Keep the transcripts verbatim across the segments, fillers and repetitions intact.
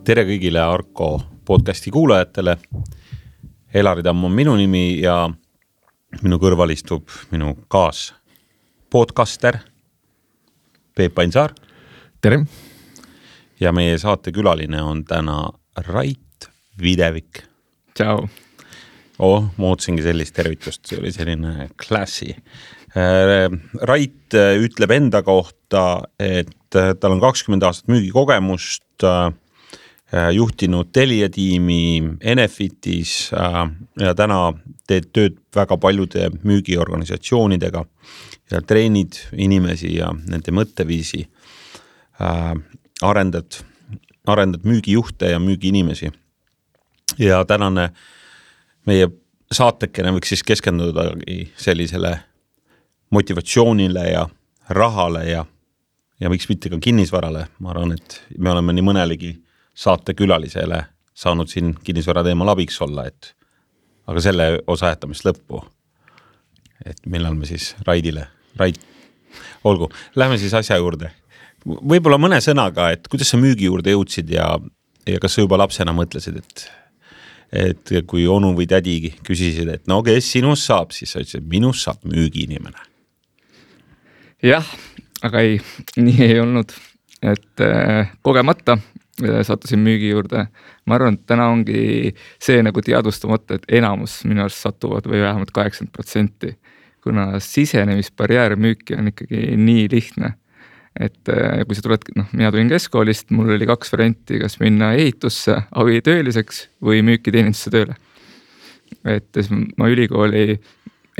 Tere kõigile Arko podcasti kuulajatele. Elari Tamm on minu nimi ja minu kõrval istub minu kaas podcaster Peep Ainsaar. Tere. Ja meie saate külaline on täna Rait Videvik. Tšau. Oh, ma ootsingi sellist tervitust, see oli selline klassi. Rait ütleb enda kohta, et tal on kakskümmend aastat müügikogemust, juhtinud Telia tiimi Enefitis ja täna teed tööd väga paljude müügiorganisatsioonidega ja treenid inimesi ja nende mõtteviisi, arendad, arendad müügijuhte ja müügiinimesi. Ja tänane meie saatekene võiks siis keskenduda sellisele motivatsioonile ja rahale ja, ja võiks mitte ka kinnisvarale. Ma arvan, et me oleme nii mõnelegi saate külalisele saanud siin kinnisvara teemal abiks olla, et, aga selle osa jätamist lõppu, et millal me siis Raidile, Rait, olgu, lähme siis asja juurde. Võib-olla mõne sõnaga, et kuidas sa müügi juurde jõudsid ja, ja kas sa juba lapsena mõtlesid, et, et kui onu või tädi küsisid, et no kes sinust saab, siis sa ütlesid, minust saab müügiinimene. Jah, aga ei, nii ei olnud, et äh, kogemata sattusin müügi juurde. Ma arvan, et täna ongi see nagu teadvustamata, et enamus minu arust satuvad või vähemalt kaheksakümmend protsenti, kuna sisenemisbarjäär müüki on ikkagi nii lihtne. Et kui sa tuled, noh, mina tulin keskkoolist, mul oli kaks varianti, kas minna ehitusse abitööliseks või müüki teenindusse tööle. Et ma ülikooli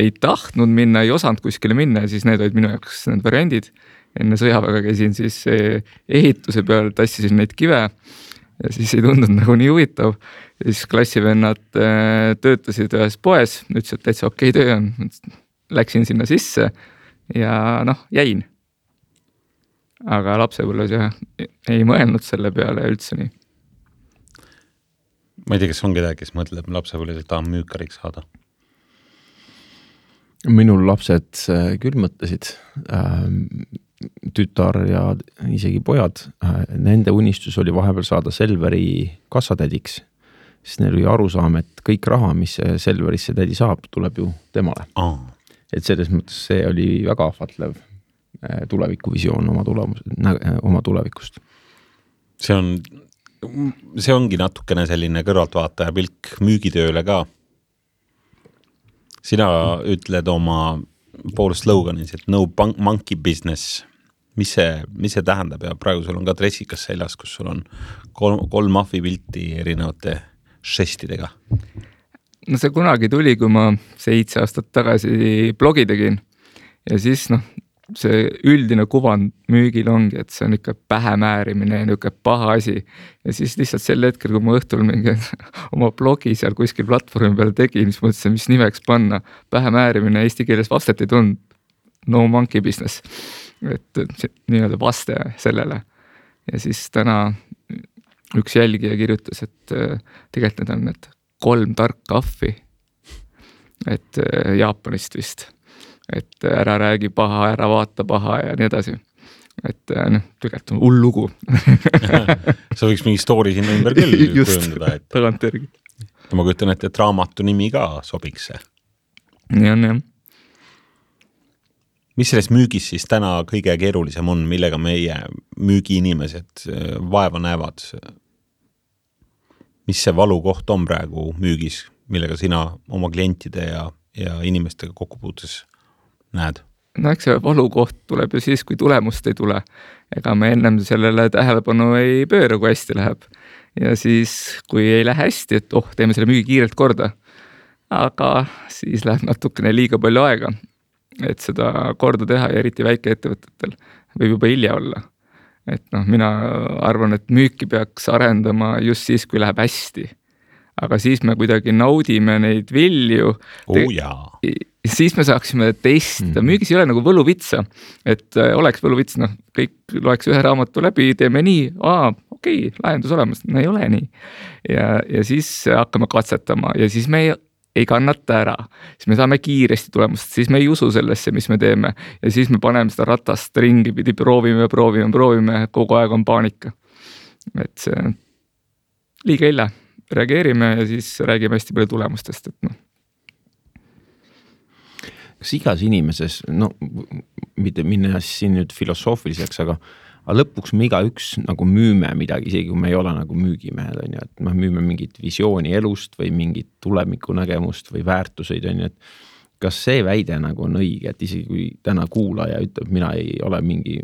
ei tahtnud minna, ei osanud kuskile minna ja siis need olid minu jaoks need variandid. Enne sõjaväega käisin siis ehituse peal, tassisin neid kive ja siis ei tundunud nagu nii huvitav. Ja siis klassivennad töötasid ühes poes, ütlesid, et täitsa okei töö on. Läksin sinna sisse ja noh, jäin. Aga lapsepõlves jah, ei mõelnud selle peale üldse nii. Ma ei tea, kes on kedagi, kes mõtleb lapsepõlves, et tahab müükariks saada. Minul lapsed küll mõtlesid, tütar ja isegi pojad, nende unistus oli vahepeal saada Selveri kassatädiks, sest neil oli arusaam, et kõik raha, mis Selverisse tädi saab, tuleb ju temale. Oh. Et selles mõttes see oli väga ahvatlev tulevikuvisioon oma, tulemus, oma tulevikust. See on, see ongi natukene selline kõrvaltvaataja pilk müügitööle ka. Sina ütled oma pool sloganis, et no monkey business. Mis see, mis see tähendab ja praegu sul on ka dressikas seljas, kus sul on kolm, kolm mahvi pilti erinevate žestidega. No see kunagi tuli, kui ma seitse aastat tagasi blogi tegin ja siis noh, see üldine kuvand müügil ongi, et see on ikka pähemäärimine ja niisugune paha asi. Ja siis lihtsalt sel hetkel, kui ma õhtul mingi oma blogi seal kuskil platvormi peal tegin, siis mõtlesin, mis nimeks panna. Pähemäärimine eesti keeles vastet ei tund. No monkey business. Et nii-öelda vaste sellele. Ja siis täna üks jälgija kirjutas, et tegelikult need on need kolm tarka ahvi. Et Jaapanist vist. Et ära räägi paha, ära vaata paha ja nii edasi. Et noh, tegelikult on hull lugu. Sa võiks mingi story sinna ümber küll just, kujundada. Et... tagant järgi. Ma kujutan, et, et raamatu nimi ka sobiks see. Nii on, jah. Mis selles müügis siis täna kõige keerulisem on, millega meie müügiinimesed vaeva näevad? Mis see valukoht on praegu müügis, millega sina oma klientide ja, ja inimestega kokkupuutes näed? No eks see valukoht tuleb ju siis, kui tulemust ei tule. Ega me ennem sellele tähelepanu ei pööra, kui hästi läheb. Ja siis, kui ei lähe hästi, et oh, teeme selle müügi kiirelt korda. Aga siis läheb natukene liiga palju aega, et seda korda teha ja eriti väike ettevõtetel võib juba hilja olla. Et noh, mina arvan, et müüki peaks arendama just siis, kui läheb hästi. Aga siis me kuidagi naudime neid vilju. Oh jaa. Siis me saaksime testida. Müügis ei ole nagu võluvitsa. Et oleks võluvits, noh, kõik loeks ühe raamatu läbi, teeme nii, aa, okei, lahendus olemas. No ei ole nii. Ja, ja siis hakkame katsetama ja siis me ei, ei kannata ära. Siis me saame kiiresti tulemust, siis me ei usu sellesse, mis me teeme. Ja siis me paneme seda ratast ringi pidi, proovime, proovime, proovime, kogu aeg on paanika. Et see liiga illa, reageerime ja siis räägime hästi palju tulemustest, et noh. Kas igas inimeses, no mitte minna siin nüüd filosoofiliseks, aga, aga lõpuks me iga üks nagu müüme midagi, isegi kui me ei ole nagu müügimehed, on ju, et me müüme mingit visiooni elust või mingit tulemiku nägemust või väärtuseid, on ju, et kas see väide nagu on õige, et isegi kui täna kuulaja ütleb, mina ei ole mingi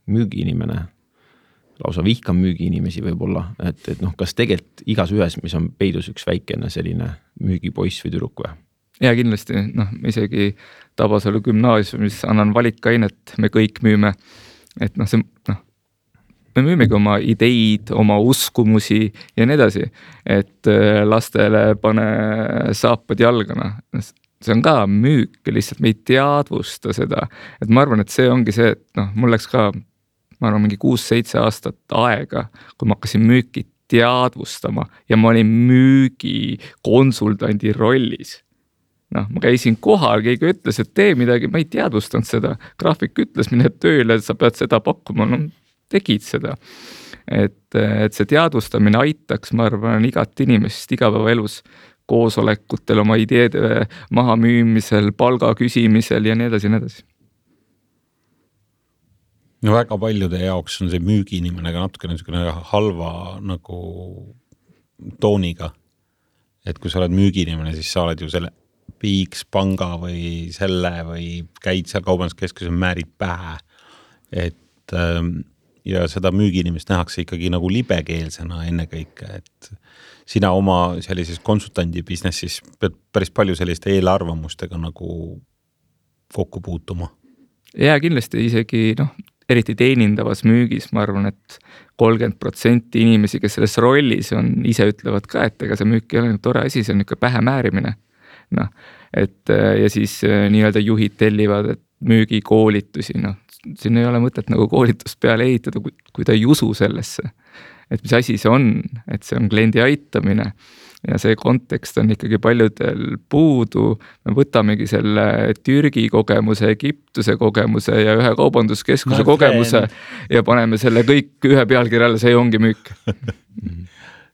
müügiinimene, lausa vihkan müügiinimesi võib-olla, et, et noh, kas tegelikult igas ühes, mis on peidus üks väikene selline müügipoiss või tüdruk või? Ja kindlasti, noh, isegi Tabasalu gümnaasiumis annan valikainet, me kõik müüme, et noh, see, noh, me müümegi oma ideid, oma uskumusi ja nii edasi, et lastele pane saapad jalgana. See on ka müük, lihtsalt me ei teadvusta seda, et ma arvan, et see ongi see, et noh, mul läks ka, ma arvan, mingi kuus-seitse aastat aega, kui ma hakkasin müüki teadvustama ja ma olin müügi konsultandi rollis. Noh, ma käisin kohal, keegi ütles, et tee midagi, ma ei teadvustanud seda, graafik ütles, mine tööle, sa pead seda pakkuma, no tegid seda. Et, et see teadvustamine aitaks, ma arvan, igat inimest igapäevaelus koosolekutel, oma ideede maha müümisel, palga küsimisel ja nii edasi, nii edasi. No väga paljude jaoks on see müügiinimene ka natuke niisugune halva nagu tooniga. Et kui sa oled müügiinimene, siis sa oled ju selle X panga või selle või käid seal kaubanduskeskuses määrid pähe. Et ja seda müügiinimest nähakse ikkagi nagu libekeelsena ennekõike, et sina oma sellises konsultandi businessis pead päris palju selliste eelarvamustega nagu kokku puutuma. Ja kindlasti isegi, noh, eriti teenindavas müügis, ma arvan, et kolmkümmend protsenti inimesi, kes selles rollis on, ise ütlevad ka, et ega see müük ei ole tore asi, see on niisugune pähe määrimine. Noh, et ja siis nii-öelda juhid tellivad, et müügikoolitusi, noh, siin ei ole mõtet nagu koolitust peale ehitada, kui, kui ta ei usu sellesse. Et mis asi see on, et see on kliendi aitamine ja see kontekst on ikkagi paljudel puudu. Me võtamegi selle Türgi kogemuse, Egiptuse kogemuse ja ühe kaubanduskeskuse kogemuse ja paneme selle kõik ühe pealkirjale, see ongi müük.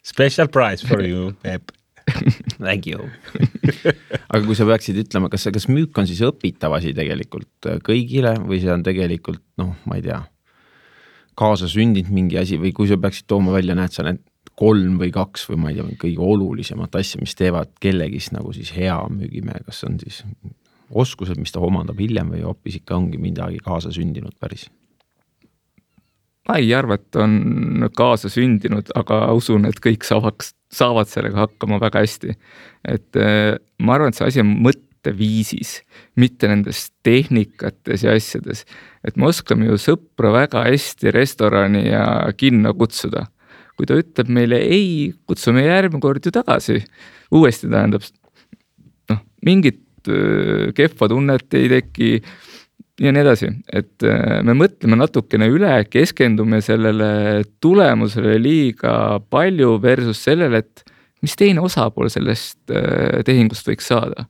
Special prize for you, Peep. Thank you. Aga kui sa peaksid ütlema, kas, kas müük on siis õpitav asi tegelikult kõigile või see on tegelikult, noh, ma ei tea, kaasa sündinud mingi asi või kui sa peaksid tooma välja, näed sa need kolm või kaks või ma ei tea, kõige olulisemat asja, mis teevad kellegist nagu siis hea müügimehe, kas on siis oskused, mis ta omandab hiljem või hoopis ikka ongi midagi kaasa sündinud päris? Ma ei arva, et on kaasa sündinud, aga usun, et kõik saavaks, saavad sellega hakkama väga hästi. Et ma arvan, et see asi on mõtteviisis, mitte nendes tehnikates ja asjades. Et me oskame ju sõpra väga hästi restorani ja kinno kutsuda. Kui ta ütleb meile ei, kutsume järgmine kord ju tagasi. Uuesti tähendab, noh, mingit kehva tunnet ei teki ja nii edasi, et me mõtleme natukene üle, keskendume sellele tulemusele liiga palju versus sellele, et mis teine osapool sellest tehingust võiks saada.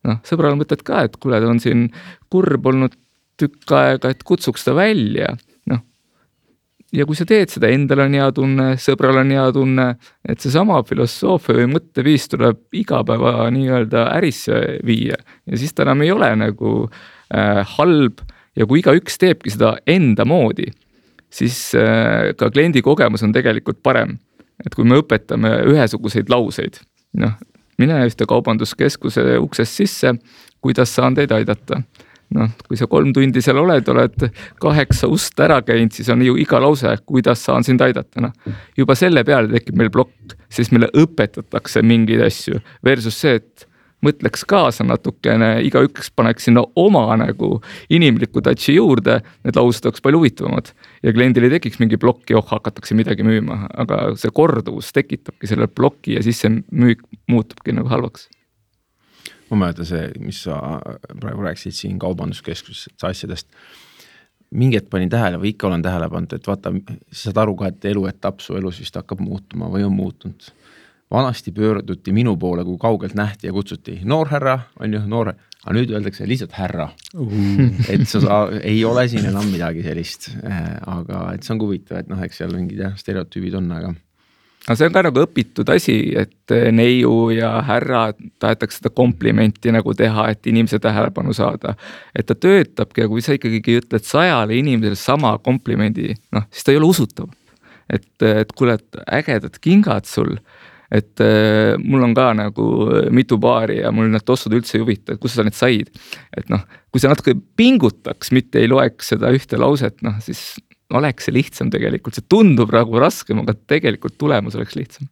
Noh, sõbral mõtled ka, et kuule, ta on siin kurb olnud tükk aega, et kutsuks ta välja. Noh, ja kui sa teed seda, endal on hea tunne, sõbral on hea tunne, et see sama filosoofia või mõtteviis tuleb iga päeva nii-öelda ärisse viia ja siis ta enam ei ole nagu äh, halb ja kui iga üks teebki seda enda moodi, siis äh, ka kliendi kogemus on tegelikult parem. Et kui me õpetame ühesuguseid lauseid, noh, mine ühte kaubanduskeskuse uksest sisse, kuidas saan teid aidata. Noh, kui sa kolm tundi seal oled, oled kaheksa ust ära käinud, siis on ju iga lause, kuidas saan sind aidata. No, juba selle peale tekib meil plokk, siis meile õpetatakse mingeid asju versus see, et mõtleks kaasa natukene, iga üks paneks sinna oma nagu inimliku touchi juurde, need laused oleks palju huvitavamad ja kliendil ei tekiks mingi plokki, oh, hakatakse midagi müüma, aga see korduvus tekitabki selle plokki ja siis see müük muutubki nagu halvaks. Ma mäletan see, mis sa praegu rääkisid siin kaubanduskeskuses asjadest. Mingi hetk panin tähele või ikka olen tähele pannud, et vaata, saad aru ka, et eluetapp su elus vist hakkab muutuma või on muutunud. Vanasti pöörduti minu poole, kui kaugelt nähti ja kutsuti noorherra, on ju noor, aga nüüd öeldakse lihtsalt härra. Uh. Et sa saa, ei ole siin enam midagi sellist, aga et see on huvitav, et noh, eks seal mingid jah, stereotüübid on, aga no see on ka nagu õpitud asi, et neiu ja härra tahetakse seda komplimenti nagu teha, et inimese tähelepanu saada. Et ta töötabki ja kui sa ikkagi ütled sajale inimesele sama komplimendi, noh, siis ta ei ole usutav. Et, et kuule, et ägedad kingad sul, et äh, mul on ka nagu mitu paari ja mul need tossud üldse ei huvita, et kus sa need said. Et noh, kui sa natuke pingutaks, mitte ei loeks seda ühte lauset, noh, siis oleks see lihtsam tegelikult. See tundub nagu raskem, aga tegelikult tulemus oleks lihtsam.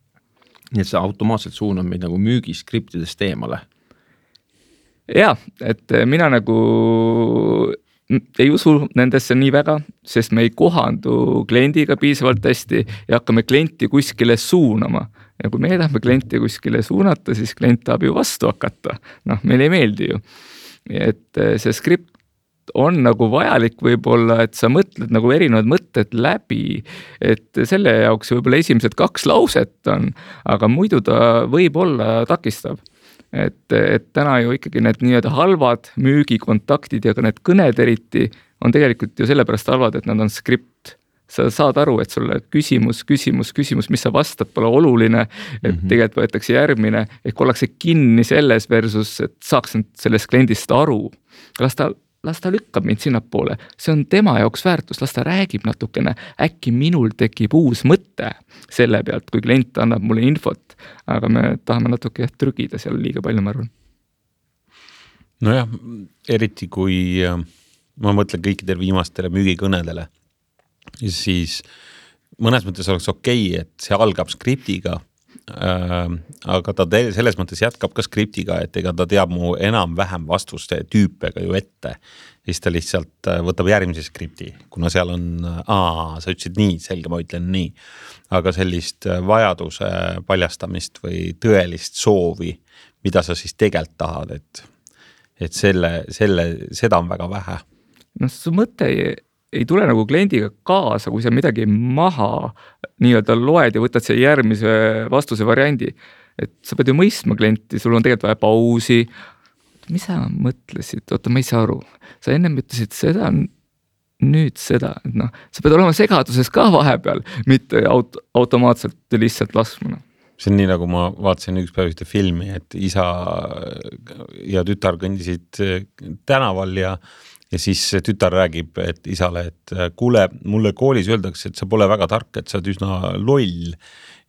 Nii et see automaatselt suunab meid nagu müügiskriptidest eemale. Ja, et mina nagu ei usu nendesse nii väga, sest me ei kohandu kliendiga piisavalt hästi ja hakkame klienti kuskile suunama. Ja kui me tahame klienti kuskile suunata, siis klient tahab ju vastu hakata. Noh, meil ei meeldi ju. Et see skript on nagu vajalik võib-olla, et sa mõtled nagu erinevad mõtted läbi, et selle jaoks võib-olla esimesed kaks lauset on, aga muidu ta võib olla takistav. Et, et täna ju ikkagi need nii-öelda halvad müügikontaktid ja ka need kõned eriti on tegelikult ju sellepärast halvad, et nad on skript. Sa saad aru, et sulle küsimus, küsimus, küsimus, mis sa vastad, pole oluline, et mm-hmm. tegelikult võetakse järgmine, ehk ollakse kinni selles versus, et saaks sellest kliendist aru. Las ta, las ta lükkab mind sinna poole, see on tema jaoks väärtus, las ta räägib natukene, äkki minul tekib uus mõte selle pealt, kui klient annab mulle infot, aga me tahame natuke trügida seal liiga palju, ma arvan. Nojah, eriti kui ma mõtlen kõikidele viimastele müügikõnedele, siis mõnes mõttes oleks okei, et see algab skriptiga, äh, aga ta te, selles mõttes jätkab ka skriptiga, et ega ta teab mu enam-vähem vastuste tüüpega ju ette. Siis ta lihtsalt võtab järgmise skripti, kuna seal on, aa, sa ütlesid nii, selge, ma ütlen nii. Aga sellist vajaduse paljastamist või tõelist soovi, mida sa siis tegelt tahad, et, et selle, selle, seda on väga vähe. No su mõte ei ei tule nagu kliendiga kaasa, kui sa midagi maha nii-öelda loed ja võtad see järgmise vastuse variandi. Et sa pead ju mõistma klienti, sul on tegelikult vaja pausi. Mis sa mõtlesid? Oota, ma ei saa aru. Sa ennem ütlesid seda, nüüd seda. No, sa pead olema segaduses ka vahepeal, mitte aut- automaatselt lihtsalt laskmuna. See on nii, nagu ma vaatasin üks päev ühte filmi, et isa ja tütar kõndisid tänaval ja Ja siis tütar räägib et isale, et kuule, mulle koolis öeldakse, et sa pole väga tark, et sa oled üsna loll.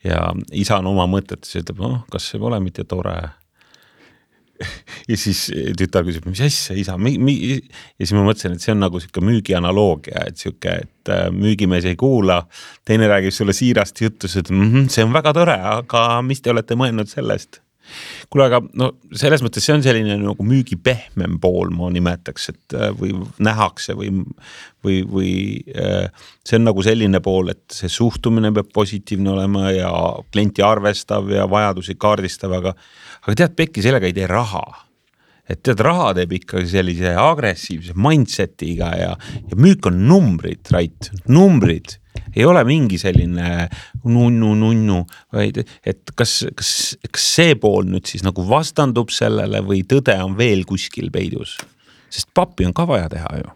Ja isa on oma mõtetes ja ütleb, noh, kas see pole mitte tore? Ja siis tütar küsib, mis asja, isa? Mi, mi? Ja siis ma mõtlesin, et see on nagu siuke müügi analoogia, et siuke, et müügimees ei kuula, teine räägib sulle siirast jutus, et mm-hmm, see on väga tore, aga mis te olete mõelnud sellest? Kuule, aga no, selles mõttes see on selline nagu müügi pehmem pool, ma nimetaks, et või nähakse või, või, või see on nagu selline pool, et see suhtumine peab positiivne olema ja klienti arvestav ja vajadusi kaardistav, aga, aga tead, Pekki sellega ei tee raha. Et tead, raha teeb ikka sellise agressiivse mindsetiga ja, ja müük on numbrid, right? Numbrid. Ei ole mingi selline nunnu, nunnu, vaid et kas, kas, kas see pool nüüd siis nagu vastandub sellele või tõde on veel kuskil peidus? Sest pappi on ka vaja teha ju.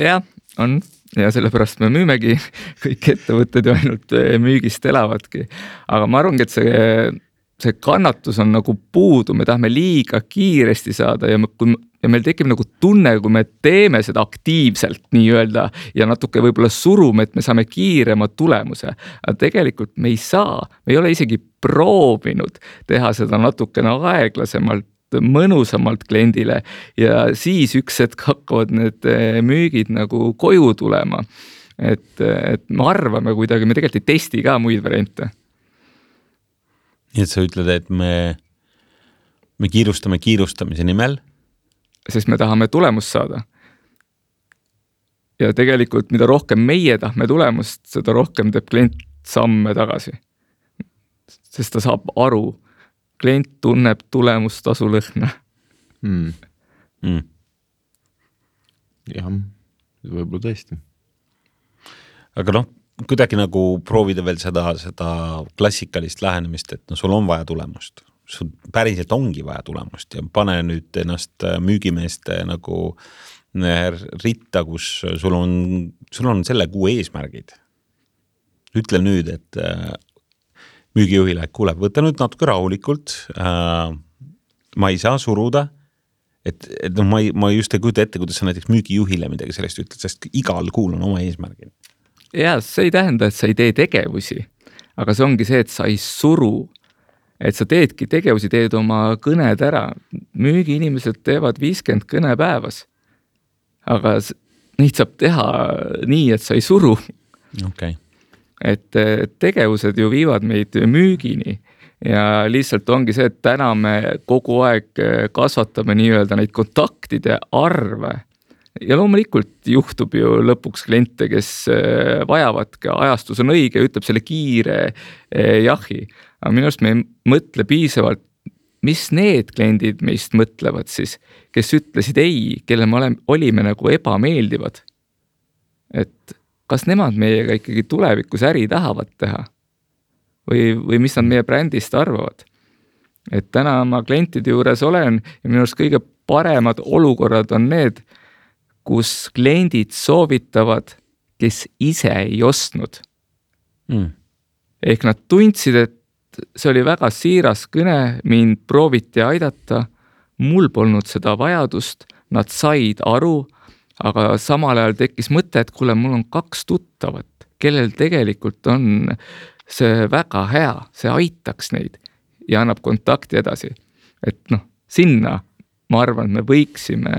Ja, on. Ja sellepärast me müümegi kõik ettevõtted ju ainult müügist elavadki. Aga ma arvangi, et see, see kannatus on nagu puudu, me tahame liiga kiiresti saada ja kui Ja meil tekib nagu tunne, kui me teeme seda aktiivselt nii-öelda ja natuke võib-olla surume, et me saame kiirema tulemuse. Aga tegelikult me ei saa, me ei ole isegi proovinud teha seda natukene aeglasemalt, mõnusamalt kliendile ja siis üks hetk hakkavad need müügid nagu koju tulema. Et, et me arvame kuidagi, me tegelikult ei testi ka muid variante. Nii et sa ütled, et me, me kiirustame kiirustamise nimel, sest me tahame tulemust saada. Ja tegelikult, mida rohkem meie tahme tulemust, seda rohkem teeb klient samme tagasi. Sest ta saab aru, klient tunneb tulemustasu lõhna. Mm. Mm. Jah, võib-olla tõesti. Aga noh, kuidagi nagu proovida veel seda, seda klassikalist lähenemist, et no sul on vaja tulemust. Sul päriselt ongi vaja tulemust ja pane nüüd ennast müügimeeste nagu ritta, kus sul on, sul on selle kuu eesmärgid. Ütle nüüd, et müügijuhile, kuule, võta nüüd natuke rahulikult, äh, ma ei saa suruda, et, et no, ma, ei, ma just ei kujuta ette, kuidas sa näiteks müügijuhile midagi sellest ütled, sest igal kuul on oma eesmärgid. Ja see ei tähenda, et sa ei tee tegevusi, aga see ongi see, et sa ei suru, et sa teedki tegevusi, teed oma kõned ära. Müügiinimesed teevad viiskümmend kõne päevas, aga neid saab teha nii, et sa ei suru. Okay. Et tegevused ju viivad meid müügini ja lihtsalt ongi see, et täna me kogu aeg kasvatame nii-öelda neid kontaktide arve ja loomulikult juhtub ju lõpuks kliente, kes vajavad ka ajastus on õige, ütleb selle kiire jahi, aga minu arust me ei mõtle piisavalt, mis need kliendid meist mõtlevad siis, kes ütlesid ei, kelle me olime nagu ebameeldivad, et kas nemad meiega ikkagi tulevikus äri tahavad teha või, või mis nad meie brändist arvavad. Et täna ma klientide juures olen ja minu arust kõige paremad olukorrad on need, kus kliendid soovitavad, kes ise ei ostnud. Mm. Ehk nad tundsid, et see oli väga siiras kõne, mind prooviti aidata, mul polnud seda vajadust, nad said aru, aga samal ajal tekkis mõte, et kuule, mul on kaks tuttavat, kellel tegelikult on see väga hea, see aitaks neid ja annab kontakti edasi. Et noh, sinna ma arvan, et me võiksime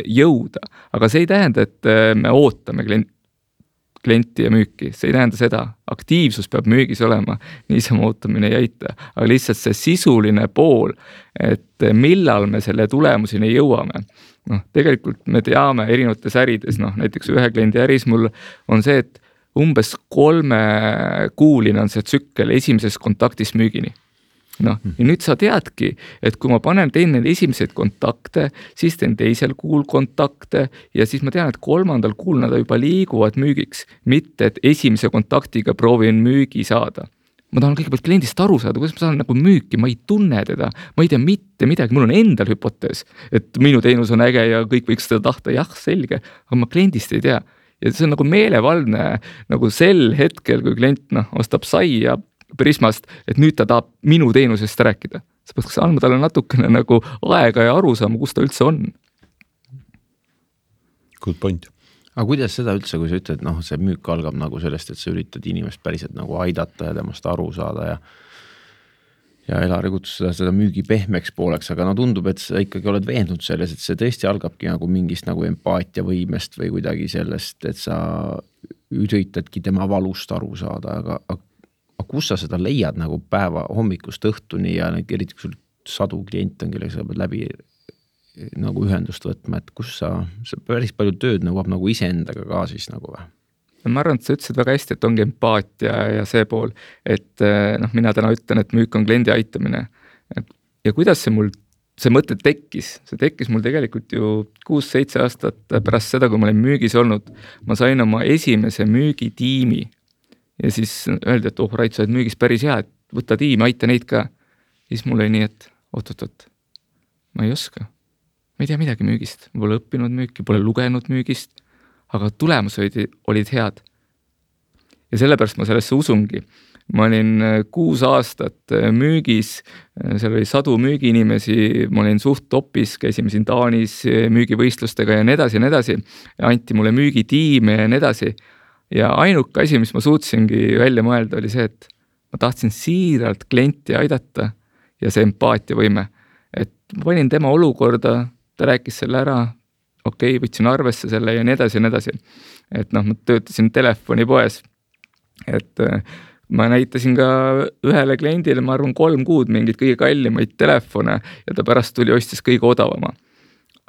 jõuda, aga see ei tähenda, et me ootame klienti ja müüki, see ei tähenda seda, aktiivsus peab müügis olema, niisama ootamine ei aita, aga lihtsalt see sisuline pool, et millal me selle tulemuseni jõuame. No, tegelikult me teame erinevates ärides, noh, näiteks ühe kliendi äris mul on see, et umbes kolme kuuline on see tsükkel esimeses kontaktis müügini. No, ja nüüd sa teadki, et kui ma panen teen need esimesed kontakte, siis teen teisel kuul kontakte ja siis ma tean, et kolmandal kuul nad juba liiguvad müügiks, mitte et esimese kontaktiga proovin müügi saada. Ma tahan kõigepealt kliendist aru saada, kuidas ma saan nagu müüki, ma ei tunne teda, ma ei tea mitte midagi, mul on endal hüpotees, et minu teenus on äge ja kõik võiks seda tahta, jah, selge, aga ma kliendist ei tea. Ja see on nagu meelevaldne nagu sel hetkel, kui klient no, ostab sai ja Prismast, et nüüd ta tahab minu teenusest rääkida. Sa peaks andma talle natukene nagu aega ja aru saama, kus ta üldse on. Good point. Aga kuidas seda üldse, kui sa ütled, noh, see müük algab nagu sellest, et sa üritad inimest päriselt nagu aidata ja temast aru saada ja ja Elari kutsus seda, seda müügi pehmeks pooleks, aga no tundub, et sa ikkagi oled veendunud selles, et see tõesti algabki nagu mingist nagu empaatia võimest või kuidagi sellest, et sa üritadki tema valust aru saada, aga, aga, aga kus sa seda leiad nagu päeva hommikust õhtuni ja eriti kui sul sadu klient on, kellega sa pead läbi nagu ühendust võtma, et kus sa, see päris palju tööd nõuab nagu iseendaga ka siis nagu või? Ma arvan, et sa ütlesid väga hästi, et ongi empaatia ja see pool, et noh, mina täna ütlen, et müük on kliendi aitamine. Ja kuidas see mul, see mõte tekkis? See tekkis mul tegelikult ju kuus-seitse aastat pärast seda, kui ma olen müügis olnud. Ma sain oma esimese müügitiimi ja siis öeldi, et oh, Rait, sa oled müügis päris hea, et võta tiimi, aita neid ka. Ja siis mul oli nii, et oot-oot-oot, ma ei oska. Ma ei tea midagi müügist, ma pole õppinud müüki, pole lugenud müügist, aga tulemus olid, olid head. Ja sellepärast ma sellesse usungi. Ma olin kuus aastat müügis, seal oli sadu müügiinimesi, ma olin suht topis, käisime siin Taanis müügivõistlustega ja nii edasi ja nii edasi. Ja anti mulle müügitiime ja nii edasi. Ja ainuke asi, mis ma suutsingi välja mõelda, oli see, et ma tahtsin siiralt klienti aidata ja see empaatia võime. Et ma panin tema olukorda, ta rääkis selle ära, okei, okay, võtsin arvesse selle ja nii edasi ja nii edasi. Et noh, ma töötasin telefonipoes, et ma näitasin ka ühele kliendile, ma arvan, kolm kuud mingid kõige kallimaid telefone ja ta pärast tuli ostis kõige odavama.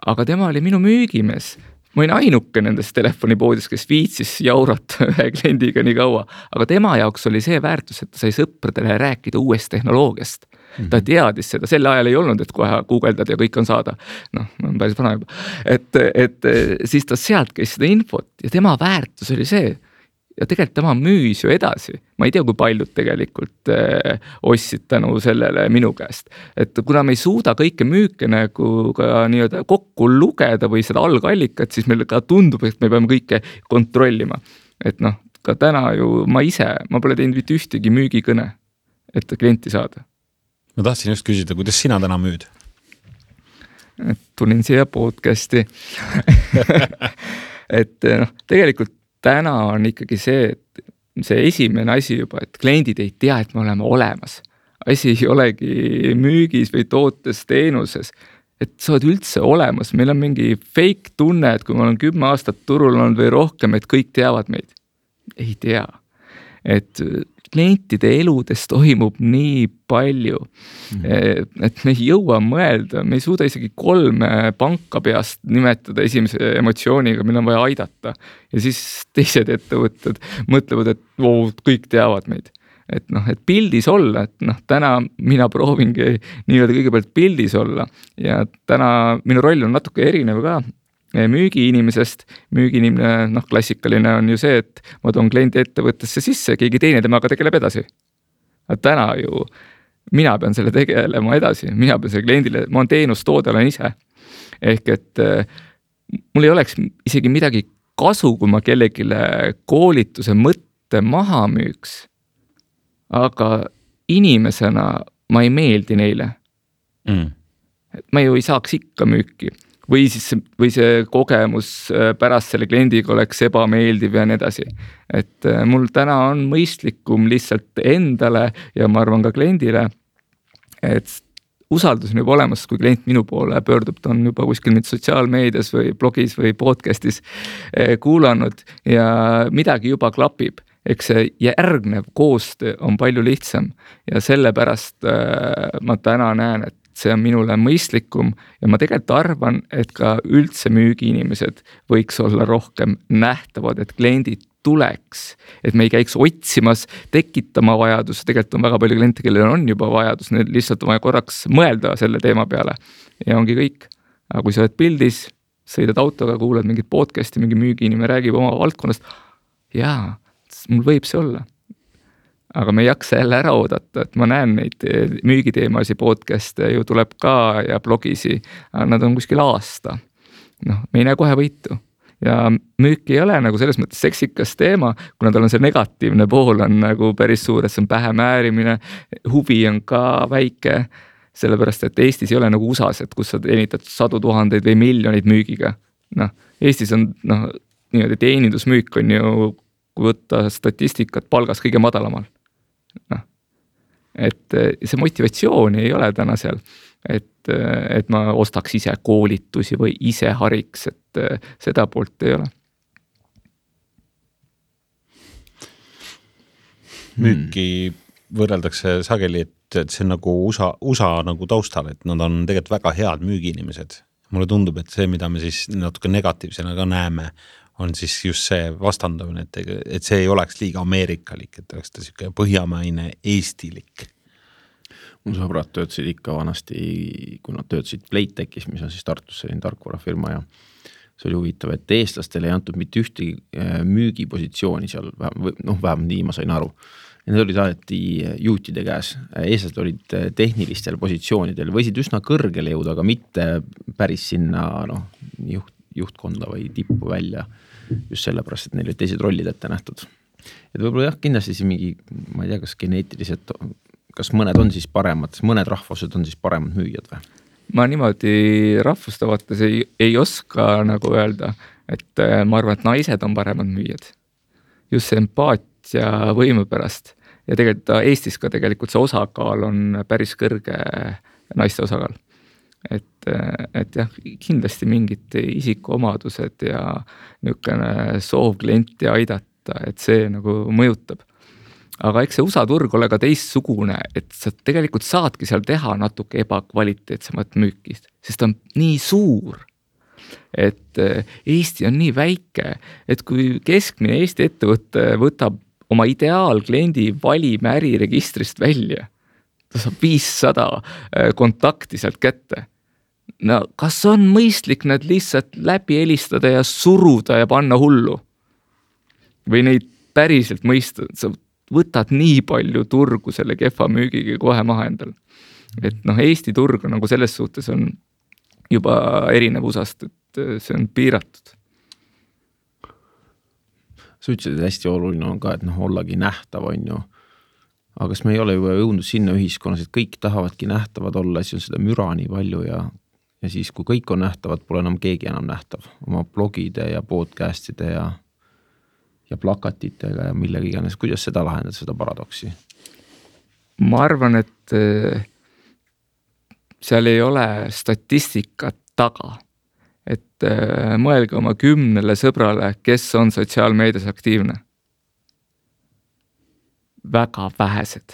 Aga tema oli minu müügimees. Ma olin ainuke nendest telefonipoodis, kes viitsis jaurata ühe kliendiga nii kaua, aga tema jaoks oli see väärtus, et ta sai sõpradele rääkida uuest tehnoloogiast. Mm-hmm. Ta teadis seda, sel ajal ei olnud, et kohe guugeldad ja kõik on saada. Noh, ma olen päris vana juba. Et, et siis ta sealt käis seda infot ja tema väärtus oli see. Ja tegelikult tema müüs ju edasi. Ma ei tea, kui paljud tegelikult eh, ostsid tänu sellele minu käest. Et kuna me ei suuda kõike müüke nagu ka nii-öelda kokku lugeda või seda algallikat, siis meil ka tundub, et me peame kõike kontrollima. Et noh, ka täna ju ma ise, ma pole teinud mitte ühtegi müügikõne. et klienti saada. Ma tahtsin just küsida, kuidas sina täna müüd? Et tulin siia podcasti. et noh, tegelikult täna on ikkagi see, et see esimene asi juba, et kliendid ei tea, et me oleme olemas. Asi ei olegi müügis või tootes, teenuses, et sa oled üldse olemas. Meil on mingi fake tunne, et kui ma olen kümme aastat turul olnud või rohkem, et kõik teavad meid. Ei tea. Et klientide eludes toimub nii palju, mm. et me ei jõua mõelda, me ei suuda isegi kolme panka peast nimetada esimese emotsiooniga, meil on vaja aidata. Ja siis teised ettevõtted mõtlevad, et oo, kõik teavad meid. Et noh, et pildis olla, et noh, täna mina proovingi nii-öelda kõigepealt pildis olla ja täna minu roll on natuke erinev ka müügiinimesest. Müügiinimene, noh, klassikaline on ju see, et ma toon kliendi ettevõttesse sisse, keegi teine temaga tegeleb edasi. Aga täna ju mina pean selle tegelema edasi, mina pean selle kliendile, ma on teenustoode, olen ise. Ehk et mul ei oleks isegi midagi kasu, kui ma kellegile koolituse mõtte maha müüks. Aga inimesena ma ei meeldi neile. Mm. Ma ju ei saaks ikka müüki. Või siis või see kogemus pärast selle kliendiga oleks ebameeldiv ja nii edasi. Et mul täna on mõistlikum lihtsalt endale ja ma arvan ka kliendile, et usaldus on juba olemas, kui klient minu poole pöördub, ta on juba kuskil nüüd sotsiaalmeedias või blogis või podcastis kuulanud ja midagi juba klapib. Eks see järgnev koostöö on palju lihtsam ja sellepärast ma täna näen, et see on minule mõistlikum ja ma tegelikult arvan, et ka üldse müügiinimesed võiks olla rohkem nähtavad, et kliendid tuleks, et me ei käiks otsimas, tekitama vajadus, tegelikult on väga palju kliente, kellel on juba vajadus, need lihtsalt on vaja korraks mõelda selle teema peale ja ongi kõik. Aga kui sa oled pildis, sõidad autoga, kuulad mingit podcasti, mingi müügiinimene räägib oma valdkonnast, jaa, mul võib see olla. Aga me ei jaksa jälle ära oodata, et ma näen neid müügiteemasi podcast'e ju tuleb ka ja blogisi, nad on kuskil aasta. Noh, me ei näe kohe võitu. Ja müük ei ole nagu selles mõttes seksikas teema, kuna tal on see negatiivne pool on nagu päris suur, et see on pähe määrimine, huvi on ka väike, sellepärast, et Eestis ei ole nagu U S A-s, et kus sa teenitad sadu tuhandeid või miljoneid müügiga. Noh, Eestis on noh, niimoodi teenindusmüük on ju kui võtta statistikat palgas kõige madalamal. No. Et see motivatsioon ei ole täna seal, et, et ma ostaks ise koolitusi või ise hariks, et seda poolt ei ole. Müüki võrreldakse sageli, et, et see on nagu U S A, U S A nagu taustal, et nad on tegelikult väga head müügiinimesed. Mulle tundub, et see, mida me siis natuke negatiivsena ka näeme, on siis just see vastandamine, et, et see ei oleks liiga ameerikalik, et oleks ta siuke põhjamaine eestilik. Mul sõbrad töötasid ikka vanasti, kui nad töötasid Playtechis, mis on siis Tartus selline tarkvarafirma ja see oli huvitav, et eestlastele ei antud mitte ühtegi müügipositsiooni seal, noh vähemalt nii ma sain aru. Need olid alati juutide käes, eestlased olid tehnilistel positsioonidel, võisid üsna kõrgele jõuda, aga mitte päris sinna noh, juht, juhtkonda või tippu välja just sellepärast, et neil olid teised rollid ette nähtud. Et võib-olla jah, kindlasti siin mingi, ma ei tea, kas geneetiliselt, kas mõned on siis paremad, mõned rahvused on siis paremad müüjad või? Ma niimoodi rahvustavates ei, ei oska nagu öelda, et ma arvan, et naised on paremad müüjad. Just see empaatia võimu pärast. Ja tegelikult Eestis ka tegelikult see osakaal on päris kõrge naiste osakaal. Et, et jah, kindlasti mingid isikuomadused ja niisugune soov klienti aidata, et see nagu mõjutab. Aga eks see U S A turg ole ka teistsugune, et sa tegelikult saadki seal teha natuke ebakvaliteetsemat müükist, sest ta on nii suur, et Eesti on nii väike, et kui keskmine Eesti ettevõte võtab oma ideaalkliendi valime äriregistrist välja, ta saab viissada kontakti sealt kätte. No kas on mõistlik need lihtsalt läbi helistada ja suruda ja panna hullu? Või neid päriselt mõista, sa võtad nii palju turgu selle kehva müügiga kohe maha endal. Et noh, Eesti turg on nagu selles suhtes on juba erinev U S A-st, et see on piiratud. Sa ütlesid, et hästi oluline on ka, et noh, ollagi nähtav on ju. aga kas me ei ole juba jõudnud sinna ühiskonnas, et kõik tahavadki nähtavad olla, siis on seda müra nii palju ja, ja siis, kui kõik on nähtavad, pole enam keegi enam nähtav oma blogide ja podcastide ja, ja plakatitega ja millega iganes. Kuidas seda lahendada, seda paradoksi? Ma arvan, et seal ei ole statistikat taga, et mõelge oma kümnele sõbrale, kes on sotsiaalmeedias aktiivne. Väga vähesed.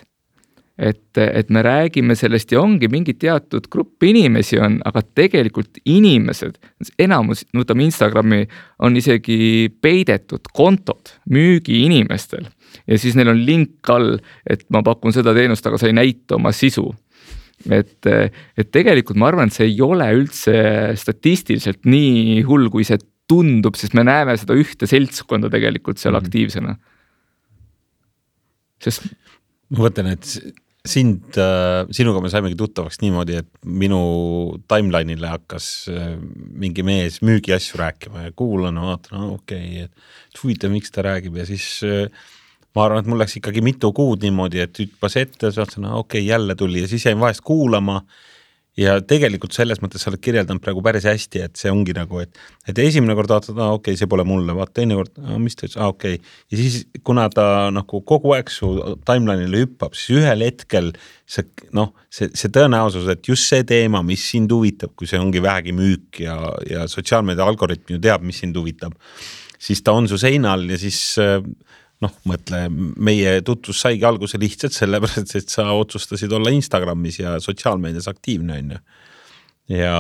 Et, et me räägime sellest ja ongi mingi teatud grupp inimesi on, aga tegelikult inimesed, enamus, võtame Instagrami, on isegi peidetud kontod müügi inimestel ja siis neil on link all, et ma pakun seda teenust, aga sa ei näita oma sisu. Et, et tegelikult ma arvan, et see ei ole üldse statistiliselt nii hull, kui see tundub, sest me näeme seda ühte seltskonda tegelikult seal mm-hmm. aktiivsena. Sest ma võtan, et sind, sinuga me saimegi tuttavaks niimoodi, et minu timeline'ile hakkas mingi mees müügi asju rääkima ja kuulan, vaatan, no, okei, okay, et huvitav, miks ta räägib ja siis ma arvan, et mul läks ikkagi mitu kuud niimoodi, et hüppas ette, saatsin, okei, okay, jälle tuli ja siis jäin vahest kuulama ja tegelikult selles mõttes sa oled kirjeldanud praegu päris hästi, et see ongi nagu, et, et esimene kord vaatad, ah, okei, okay, see pole mulle, vaat teine kord, ah, mis ta ütles, ah, okei okay. Ja siis kuna ta nagu kogu aeg su timeline'ile hüppab, siis ühel hetkel see, noh, see, see tõenäosus, et just see teema, mis sind huvitab, kui see ongi vähegi müük ja, ja sotsiaalmeedia algoritm ju teab, mis sind huvitab, siis ta on su seinal ja siis noh, mõtle, meie tutvus saigi alguse lihtsalt sellepärast, et sa otsustasid olla Instagramis ja sotsiaalmeedias aktiivne on ju. Ja,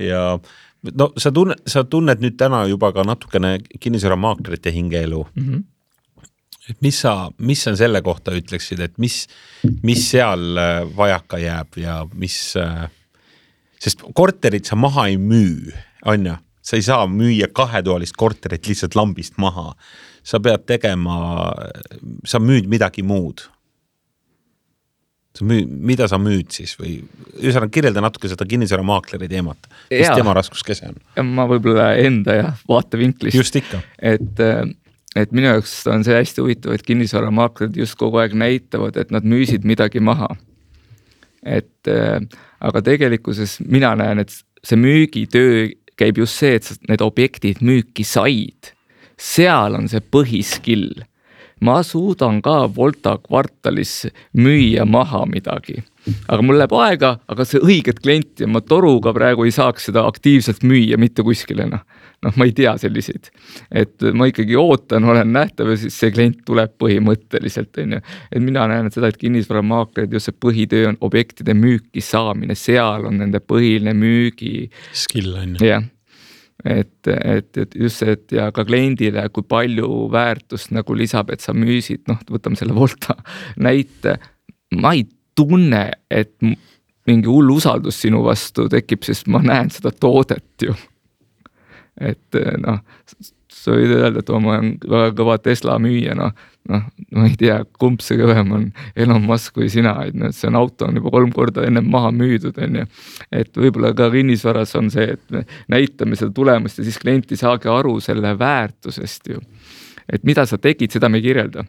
ja no sa tunned, sa tunned nüüd täna juba ka natukene kinnisvaramaaklerite hingeelu. Mm-hmm. Et mis sa, mis sa selle kohta ütleksid, et mis, mis seal vajaka jääb ja mis, sest korterit sa maha ei müü, on ju? Sa ei saa müüa kahetoalist korterit lihtsalt lambist maha. Sa pead tegema, sa müüd midagi muud. Sa müü, mida sa müüd siis või ühesõnaga kirjelda natuke seda kinnisvaramaakleri teemat, mis ja, tema raskuskese on? Ma võib-olla enda ja vaatevinklist. Just ikka. Et, et minu jaoks on see hästi huvitav, et kinnisvaramaaklerid just kogu aeg näitavad, et nad müüsid midagi maha. Et, aga tegelikkuses mina näen, et see müügitöö käib just see, et need objektid müüki said. Seal on see põhiskill. Ma suudan ka Volta kvartalis müüa maha midagi. Aga mul läheb aega, aga see õiget klienti, ma toruga praegu ei saaks seda aktiivselt müüa mitte kuskile. Noh, no, ma ei tea selliseid. Et ma ikkagi ootan, olen nähtav ja siis see klient tuleb põhimõtteliselt. Et mina näen et seda, et kinnisvaramaaklerid just see põhitöö on objektide müüki saamine. Seal on nende põhiline müügi skill on. Jah. Et, et, et just see, et ja ka kliendile, kui palju väärtust nagu lisab, et sa müüsid, noh, võtame selle Volta näite, ma ei tunne, et mingi hull usaldus sinu vastu tekib, sest ma näen seda toodet ju. Et noh, sa võid öelda, et ma olen väga kõva Tesla müüja, noh, noh, ma ei tea, kumb see kõvem on Elon Musk või sina, et no, see on auto on juba kolm korda enne maha müüdud, on ju. Et võibolla ka kinnisvaras on see, et me näitame seda tulemust ja siis klienti saagi aru selle väärtusest ju. Et mida sa tegid, seda me ei kirjelda.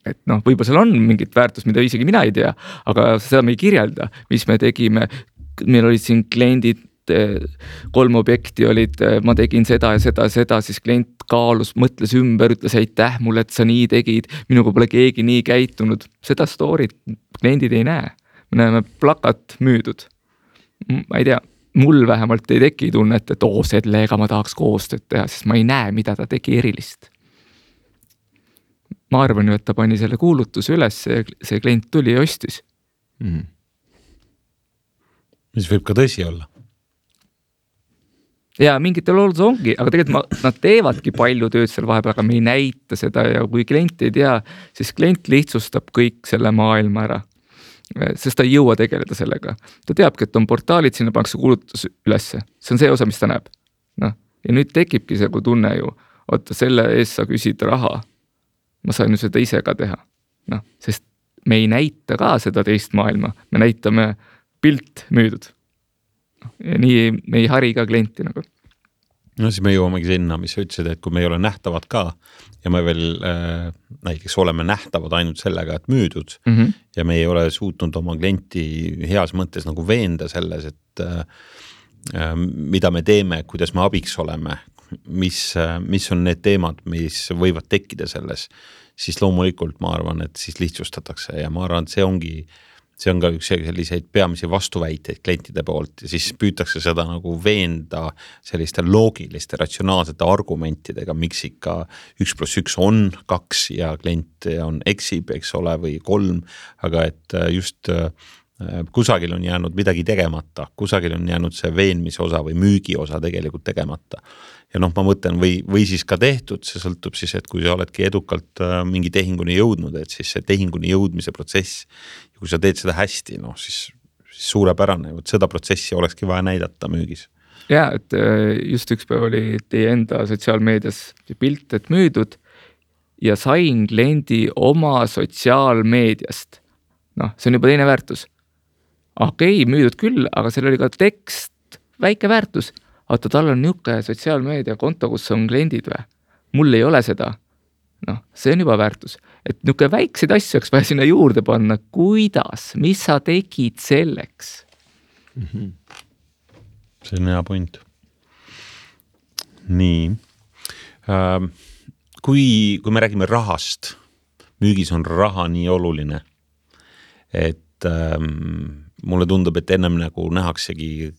Et noh, võibolla seal on mingit väärtust, mida isegi mina ei tea, aga seda me ei kirjelda, mis me tegime. Meil olid siin kliendid, kolm objekti olid, ma tegin seda ja seda, seda, siis klient kaalus, mõtles ümber, ütles aitäh mulle, et sa nii tegid, minuga pole keegi nii käitunud. Seda storyt kliendid ei näe. Me näeme plakat müüdud. Ma ei tea, mul vähemalt ei teki tunnet, et oo, sellega ma tahaks koostööd teha, sest ma ei näe, mida ta tegi erilist. Ma arvan ju, et ta pani selle kuulutuse üles, see, see klient tuli ja ostis. Mm. Mis võib ka tõsi olla. Ja mingitel olud ongi, aga tegelikult ma, nad teevadki palju tööd seal vahepeal, aga me ei näita seda ja kui klient ei tea, siis klient lihtsustab kõik selle maailma ära. Sest ta ei jõua tegeleda sellega. Ta teabki, et on portaalid, sinna pannakse kuulutus ülesse. See on see osa, mis ta näeb. No. Ja nüüd tekibki see, kui tunne ju, oota, selle eest sa küsid raha. Ma sain ju seda ise ka teha. No, sest me ei näita ka seda teist maailma. Me näitame pilt müüdud. Ja nii me ei hari ka klienti nagu. no siis me jõuamegi sinna, mis sa ütlesid, et kui me ei ole nähtavad ka ja me veel äh, näiteks oleme nähtavad ainult sellega, et müüdud mm -hmm. ja me ei ole suutnud oma klienti heas mõttes nagu veenda selles, et äh, mida me teeme, kuidas me abiks oleme, mis, mis on need teemad, mis võivad tekkida selles, siis loomulikult ma arvan, et siis lihtsustatakse ja ma arvan, et see ongi see on ka üks selliseid peamisi vastuväiteid klientide poolt ja siis püütakse seda nagu veenda selliste loogiliste, ratsionaalsete argumentidega, miks ikka üks pluss üks on kaks ja klient on eksib, eks ole, või kolm, aga et just kusagil on jäänud midagi tegemata, kusagil on jäänud see veenmise osa või müügi osa tegelikult tegemata. Ja noh, ma mõtlen või, või siis ka tehtud, see sõltub siis, et kui sa oledki edukalt mingi tehinguni jõudnud, et siis see tehinguni jõudmise protsess ja kui sa teed seda hästi, noh siis, siis suurepärane, et seda protsessi olekski vaja näidata müügis. Ja, et just üks päev oli teie enda sotsiaalmeedias pilt, et müüdud ja sain kliendi oma sotsiaalmeediast. Noh, see on juba teine väärtus. Okei, müüdud küll, aga seal oli ka tekst, väike väärtus. Oota, tal on niuke sotsiaalmeedia konto, kus on kliendid või? Mul ei ole seda. Noh, see on juba väärtus. Et niuke väikseid asju oleks vaja sinna juurde panna. Kuidas? Mis sa tegid selleks? Mm-hmm. See on hea point. Nii. Ähm, kui, kui me räägime rahast, müügis on raha nii oluline, et ähm, mulle tundub, et ennem nagu nähaksegi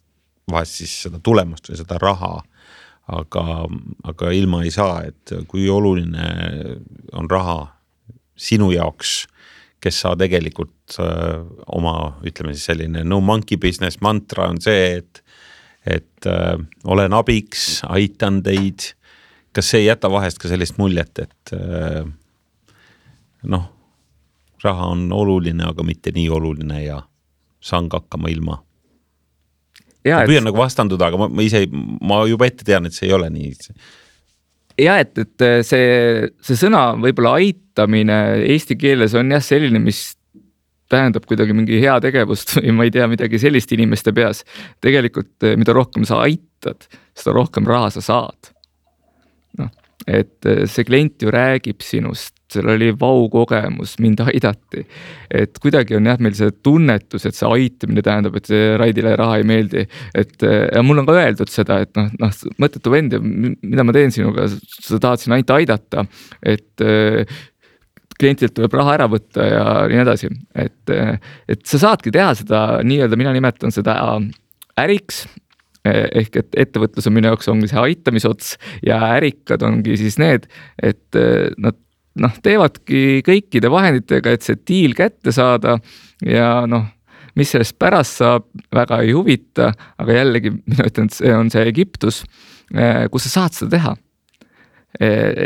vahest siis seda tulemust või seda raha, aga, aga ilma ei saa, et kui oluline on raha sinu jaoks, kes sa tegelikult äh, oma, ütleme siis selline no monkey business mantra on see, et, et äh, olen abiks, aitan teid. Kas see ei jäta vahest ka sellist muljet, et äh, noh, raha on oluline, aga mitte nii oluline ja saan ka hakkama ilma. Ja, ma püüan et... nagu vastanduda, aga ma, ma ise, ma juba ette tean, et see ei ole nii. Ja, et, et see, see sõna võib-olla aitamine eesti keeles on jah selline, mis tähendab kuidagi mingi hea tegevust või ma ei tea midagi sellist inimeste peas. Tegelikult, mida rohkem sa aitad, seda rohkem raha sa saad. Noh, et see klient ju räägib sinust, seal oli vau kogemus, mind aidati. Et kuidagi on jah meil see tunnetus, et see aitamine tähendab, et see Raidile raha ei meeldi. Et, ja mul on ka öeldud seda, et noh, noh mõttetu vend, mida ma teen sinuga, sa tahad siin ainult aidata, et klientilt tuleb raha ära võtta ja nii edasi. Et, et sa saadki teha seda, nii-öelda mina nimetan seda äriks, ehk et ettevõtlus on minu jaoks ongi see aitamisots ja ärikad ongi siis need, et nad noh, teevadki kõikide vahenditega, et see diil kätte saada ja noh, mis sellest pärast saab, väga ei huvita, aga jällegi mina ütlen, et see on see Egiptus, kus sa saad seda teha.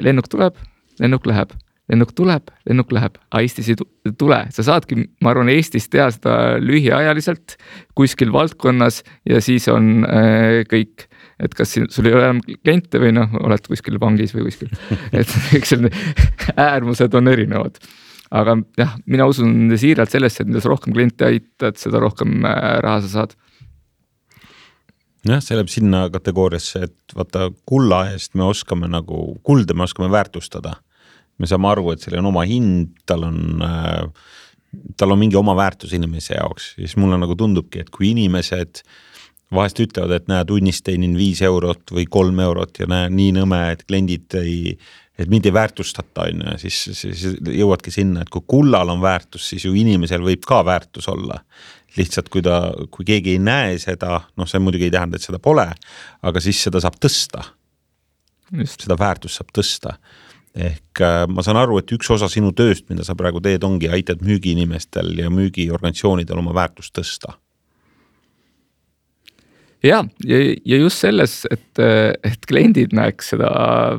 Lennuk tuleb, lennuk läheb, lennuk tuleb, lennuk läheb, aga Eestis ei tule. Sa saadki, ma arvan, Eestis teha seda lühiajaliselt kuskil valdkonnas ja siis on kõik. Et kas sul ei ole enam kliente või noh, oled kuskil pangis või kuskil. Et eks äärmused on erinevad. Aga jah, mina usun siiralt sellesse, et mida sa rohkem kliente aitad, seda rohkem raha sa saad. Jah, see läheb sinna kategooriasse, et vaata kulla eest me oskame nagu, kulda me oskame väärtustada. Me saame aru, et seal on oma hind, tal on, tal on mingi oma väärtus inimese jaoks. Ja siis mulle nagu tundubki, et kui inimesed vahest ütlevad, et näe, tunnist teinin viis eurot või kolm eurot ja näe, nii nõme, et kliendid ei, et mind ei väärtustata, siis, siis jõuadki sinna, et kui kullal on väärtus, siis ju inimesel võib ka väärtus olla. Lihtsalt kui, ta, kui keegi ei näe seda, noh see muidugi ei tähenda, et seda pole, aga siis seda saab tõsta. Just. Seda väärtust saab tõsta. Ehk ma saan aru, et üks osa sinu tööst, mida sa praegu teed, ongi aitad müügiinimestel ja müügiorganisatsioonidel oma väärtust tõsta. Ja, ja, ja just selles, et, et kliendid näeks seda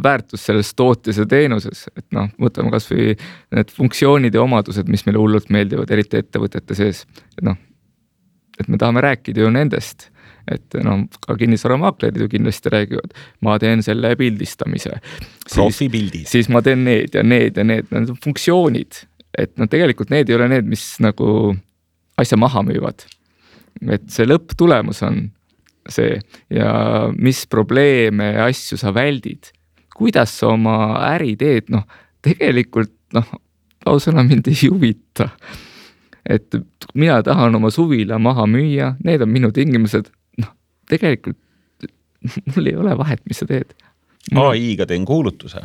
väärtust selles tootes ja teenuses, et noh, võtame kas või need funktsioonid ja omadused, mis meile hullult meeldivad, eriti ettevõtete sees. Et noh, et me tahame rääkida ju nendest, et noh, ka kinnisvaramaaklerid ju kindlasti räägivad, ma teen selle pildistamise. Profipildid. Siis ma teen need ja need ja need, need on funktsioonid, et no tegelikult need ei ole need, mis nagu asja maha müüvad. Et see lõpptulemus on see ja mis probleeme ja asju sa väldid, kuidas sa oma äri teed, noh tegelikult noh, ausõna mind ei huvita, et mina tahan oma suvila maha müüa, need on minu tingimused, noh tegelikult mul ei ole vahet, mis sa teed. A I-ga teen kuulutuse.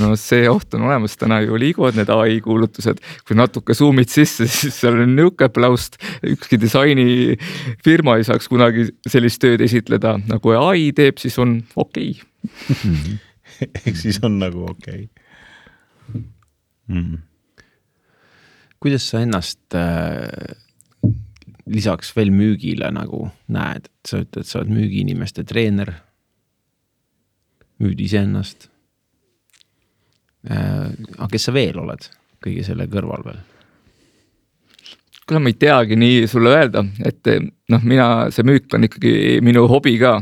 No see oht on olemas, täna ju liiguvad need A I kuulutused, kui natuke zoomid sisse, siis seal on niuke plaust, ükski disaini firma ei saaks kunagi sellist tööd esitleda, nagu A I teeb, siis on okei. Okay. Ehk siis on nagu okei. Okay. Mm. Kuidas sa ennast äh, lisaks veel müügile nagu näed, et sa ütled, sa oled müügiinimeste treener, müüd iseennast. Aga kes sa veel oled kõige selle kõrval veel? Kuule, ma ei teagi nii sulle öelda, et noh, mina, see müük on ikkagi minu hobi ka,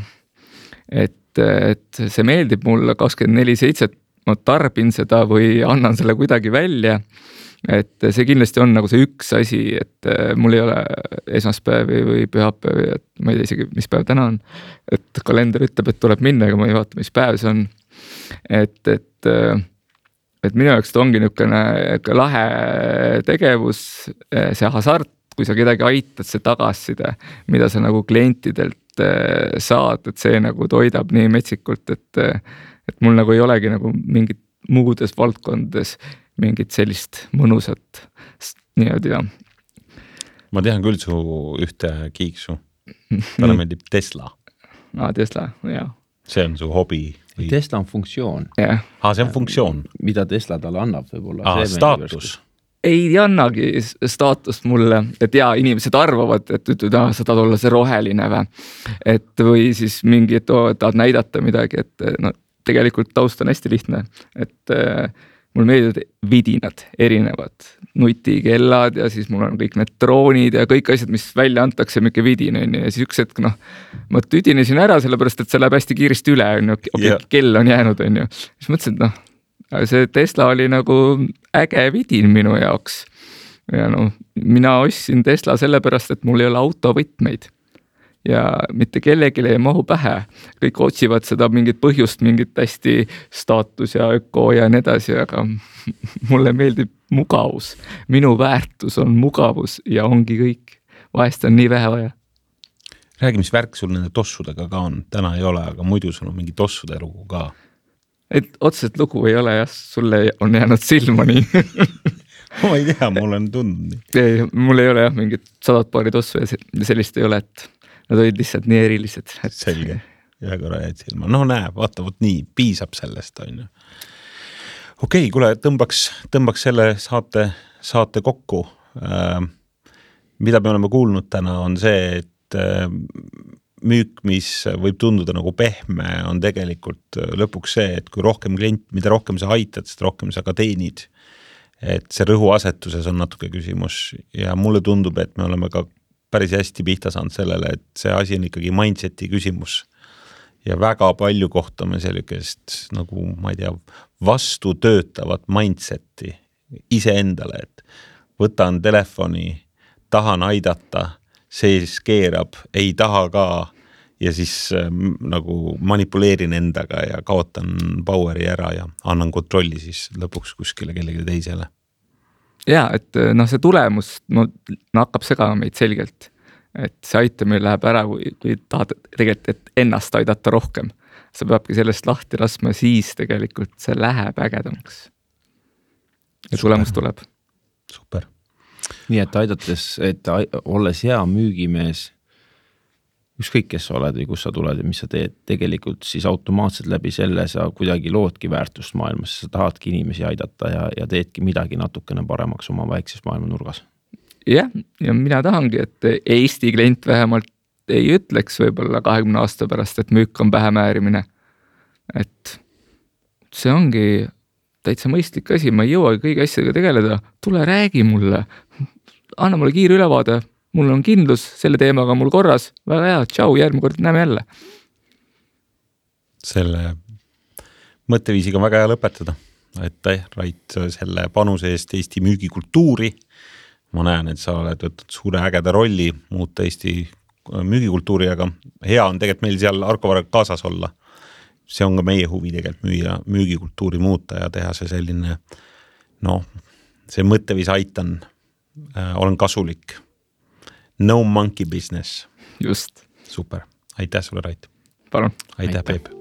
et, et see meeldib mulle kakskümmend neli seitse, ma tarbin seda või annan selle kuidagi välja, et see kindlasti on nagu see üks asi, et mul ei ole esmaspäevi või pühapäevi, et ma ei tea isegi, mis päev täna on, et kalender ütleb, et tuleb minna, aga ma ei vaata, mis päev see on, et, et et minu jaoks ta ongi niisugune lahe tegevus, see hasart, kui sa kedagi aitad, see tagasiside, mida sa nagu klientidelt saad, et see nagu toidab nii metsikult, et, et mul nagu ei olegi nagu mingit muudes valdkondades mingit sellist mõnusat niimoodi ja. Ma tean küll su ühte kiiksu. Talle meeldib Tesla. Ah, Tesla, jah. See on su hobi. Tesla on funktsioon. Yeah. Ah, see on funktsioon. Mida Tesla talle annab võib-olla. Ah, staatus. Ei annagi staatust mulle, et jaa, inimesed arvavad, et ütled, ah, sa tahad olla see roheline või. Et või siis mingi, et oh, tahad näidata midagi, et no, tegelikult taust on hästi lihtne, et äh, mul meeldivad vidinad, erinevad nutikellad ja siis mul on kõik need droonid ja kõik asjad, mis välja antakse, mingi vidin on ja siis üks hetk, noh, ma tüdinesin ära sellepärast, et see läheb hästi kiiresti üle, on ju, okay, yeah. Kell on jäänud, on ju. Siis mõtlesin, et noh, see Tesla oli nagu äge vidin minu jaoks ja noh, mina ostsin Tesla sellepärast, et mul ei ole autovõtmeid ja mitte kellelegi ei mahu pähe. Kõik otsivad seda mingit põhjust, mingit hästi staatus ja öko ja nii edasi, aga mulle meeldib mugavus. Minu väärtus on mugavus ja ongi kõik. Vahest on nii vähe vaja. Räägi, mis värk sul nende tossudega ka on? Täna ei ole, aga muidu sul on mingi tossude lugu ka. Et otseselt lugu ei ole, jah, sulle on jäänud silma nii. Ma ei tea, mul on tundnud nii. Ei, mul ei ole jah, mingit sadat paari tossu ja sellist ei ole, et nad olid lihtsalt nii erilised. Et... Selge, ühe korra jäid silma. No näe, vaata, võt nii, piisab sellest, on ju. Okei, kuule, tõmbaks, tõmbaks selle saate, saate kokku. Äh, mida me oleme kuulnud täna on see, et äh, müük, mis võib tunduda nagu pehme, on tegelikult lõpuks see, et kui rohkem klient, mida rohkem sa aitad, sest rohkem sa ka teenid. Et see rõhuasetuses on natuke küsimus ja mulle tundub, et me oleme ka päris hästi pihta saanud sellele, et see asi on ikkagi mindseti küsimus ja väga palju kohtame sellikest nagu, ma ei tea, vastu töötavat mindseti iseendale, et võtan telefoni, tahan aidata, sees keerab, ei taha ka ja siis äh, nagu manipuleerin endaga ja kaotan poweri ära ja annan kontrolli siis lõpuks kuskile kellegi teisele. Ja, et noh, see tulemus no, hakkab segama meid selgelt, et see aitamine läheb ära, kui, kui tahad tegelikult, et ennast aidata rohkem. Sa peabki sellest lahti laskma, siis tegelikult see läheb ägedamaks. Ja tulemus tuleb. Super. Nii, et aidates, et olles hea müügimees, ükskõik kes sa oled või kus sa tuled ja mis sa teed, tegelikult siis automaatselt läbi selle sa kuidagi loodki väärtust maailmas, sa tahadki inimesi aidata ja, ja teedki midagi natukene paremaks oma väikses maailma nurgas. Jah, ja mina tahangi, et Eesti klient vähemalt ei ütleks võib-olla kahekümne aasta pärast, et müük on pähemäärimine. Et see ongi täitsa mõistlik asi, ma ei jõuagi kõigi asjadega tegeleda, tule räägi mulle, anna mulle kiire ülevaade, mul on kindlus selle teemaga mul korras, väga hea, tšau, järgmine kord näeme jälle. Selle mõtteviisiga on väga hea lõpetada. Aitäh, Rait, selle panuse eest Eesti müügikultuuri. Ma näen, et sa oled võtnud suure ägeda rolli muuta Eesti müügikultuuri, aga hea on tegelikult meil seal Arko Varraga kaasas olla. See on ka meie huvi tegelikult müüa, müügikultuuri muuta ja teha see selline, noh, see mõtteviis aitan, äh, olen kasulik. No monkey business. Just. Super. Aitäh sulle, Rait. Palun. Aitäh, Peep.